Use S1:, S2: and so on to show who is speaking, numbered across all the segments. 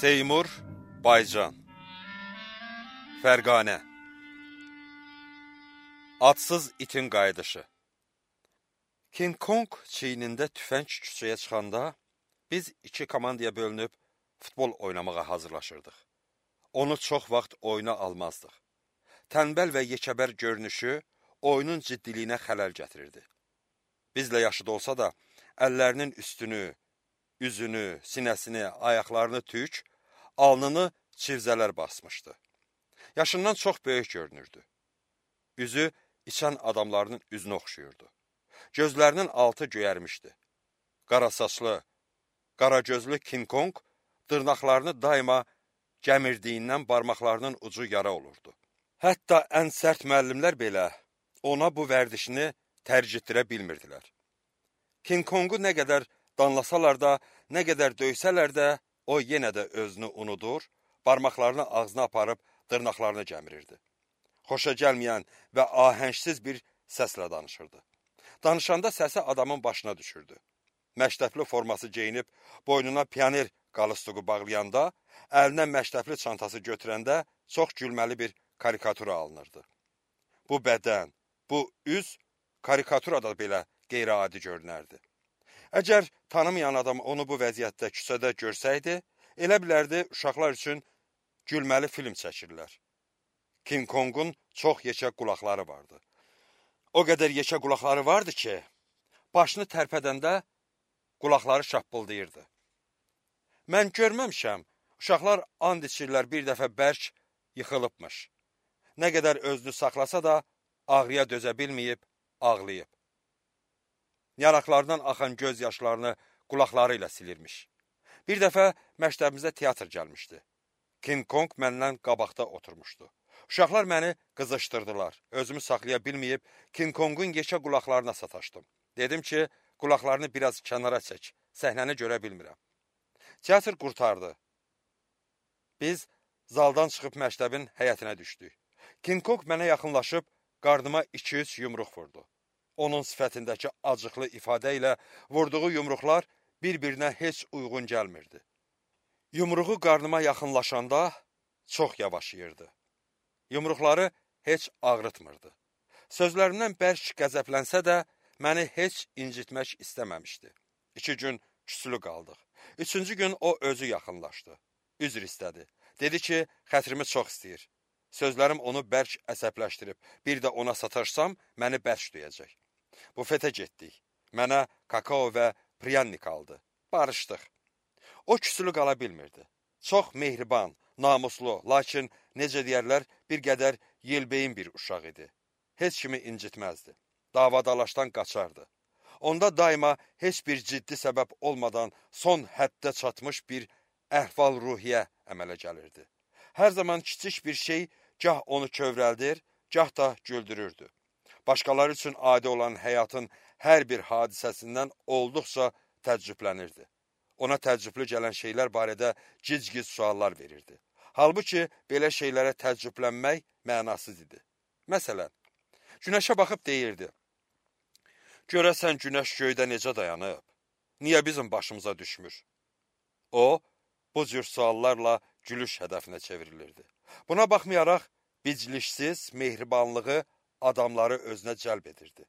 S1: Seymur Baycan Fərqanə Adsız itin qayıdışı King Kong çiynində tüfəng küçəyə çıxanda biz iki komandaya bölünüb futbol oynamağa hazırlaşırdıq. Onu çox vaxt oyuna almazdıq. Tənbəl və yekəbər görünüşü oyunun ciddiliyinə xələl gətirirdi. Bizlə yaşıd olsa da, əllərinin üstünü, üzünü, sinəsini, ayaqlarını tük, alnını çivzələr basmışdı. Yaşından çox böyük görünürdü. Üzü içən adamların üzünə oxşuyurdu. Gözlərinin altı göyərmişdi. Qara saçlı, qara gözlü King Kong dırnaqlarını daima gəmirdiyindən barmaqlarının ucu yara olurdu. Hətta ən sərt müəllimlər belə ona bu vərdişini tərcitdirə bilmirdilər. King Kongu nə qədər danlasalar da, nə qədər döysələr də, o yenə də özünü unudur, barmaqlarını ağzına aparıb dırnaqlarını gəmirirdi. Xoşa gəlməyən və ahəngsiz bir səslə danışırdı. Danışanda səsi adamın başına düşürdü. Məktəbli forması geyinib, boynuna pioner qalıstuğu bağlayanda, əlinə məktəbli çantası götürəndə çox gülməli bir karikatura alınırdı. Bu bədən, bu üz karikaturada belə qeyri-adi görünərdi. Əgər tanımayan adam onu bu vəziyyətdə küçədə görsəydi, elə bilərdi uşaqlar üçün gülməli film çəkirlər. King Kongun çox yekə qulaqları vardı. O qədər yekə qulaqları vardı ki, başını tərpədəndə qulaqları şappıldayırdı. Mən görməmişəm, uşaqlar and içirlər bir dəfə bərk yıxılıbmış. Nə qədər özünü saxlasa da ağrıya dözə bilməyib, ağlayıb. Yanaqlarından axan göz yaşlarını qulaqları ilə silirmiş. Bir dəfə məktəbimizə teatr gəlmişdi. King Kong məndən qabaqda oturmuşdu. Uşaqlar məni qızışdırdılar. Özümü saxlaya bilməyib King Kongun yekə qulaqlarına sataşdım. Dedim ki, qulaqlarını biraz kənara çək, səhnəni görə bilmirəm. Teatr qurtardı. Biz zaldan çıxıb məktəbin həyətinə düşdük. King Kong mənə yaxınlaşıb qardıma 2-3 yumruq vurdu. Onun sifətindəki acıqlı ifadə ilə vurduğu yumruqlar bir-birinə heç uyğun gəlmirdi. Yumruğu qarnıma yaxınlaşanda çox yavaşıyırdı. Yumruqları heç ağrıtmırdı. Sözlərimdən bərk qəzəblənsə də məni heç incitmək istəməmişdi. 2 gün küsülü qaldıq. 3-cü gün o özü yaxınlaşdı. Üzr istədi. Dedi ki, xətrimi çox istəyir. Sözlərim onu bərk əsəbləşdirib. Bir də ona sataşsam, məni bərk duyacaq. Bufetə getdik. Mənə kakao və priyannik aldı. Barışdıq. O küsülü qala bilmirdi. Çox mehriban, namuslu, lakin necə deyərlər, bir qədər yelbeyin bir uşaq idi. Heç kimi incitməzdi. Davadalaşdan qaçardı. Onda daima heç bir ciddi səbəb olmadan son həddə çatmış bir əhval-ruhiyyə əmələ gəlirdi. Hər zaman kiçik bir şey gah onu kövrəldir, gah da güldürürdü. Başqaları üçün adi olan həyatın hər bir hadisəsindən olduqca təəccüblənirdi. Ona təəccüblü gələn şeylər barədə gic-gic suallar verirdi. Halbuki belə şeylərə təəccüblənmək mənasız idi. Məsələn, günəşə baxıb deyirdi: görəsən günəş göydə necə dayanıb? Niyə bizim başımıza düşmür? O, bu cür suallarla gülüş hədəfinə çevrilirdi. Buna baxmayaraq, bicliksiz mehribanlığı adamları özünə cəlb edirdi.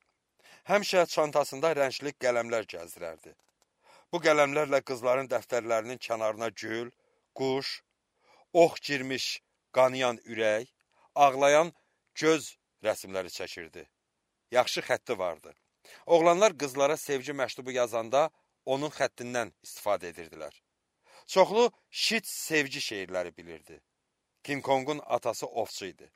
S1: Həmişə çantasında rəngli qələmlər gəzdirərdi. Bu qələmlərlə qızların dəftərlərinin kənarına gül, quş, ox girmiş qanayan ürək, ağlayan göz rəsimləri çəkirdi. Yaxşı xətti vardı. Oğlanlar qızlara sevgi məktubu yazanda onun xəttindən istifadə edirdilər. Çoxlu şit sevgi şeirləri bilirdi. King Kongun atası ovçu idi.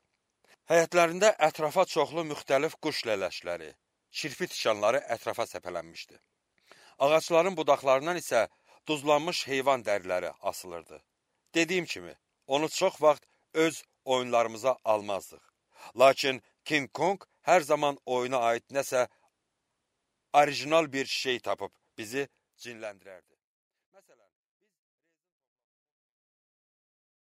S1: Həyətlərində ətrafa çoxlu müxtəlif quş lələşləri, kirpi tikanları ətrafa səpələnmişdi. Ağaçların budaqlarından isə duzlanmış heyvan dəriləri asılırdı. Dediyim kimi, onu çox vaxt öz oyunlarımıza almazdıq. Lakin King Kong hər zaman oyuna aid nəsə orijinal bir şey tapıb bizi cinləndirərdi.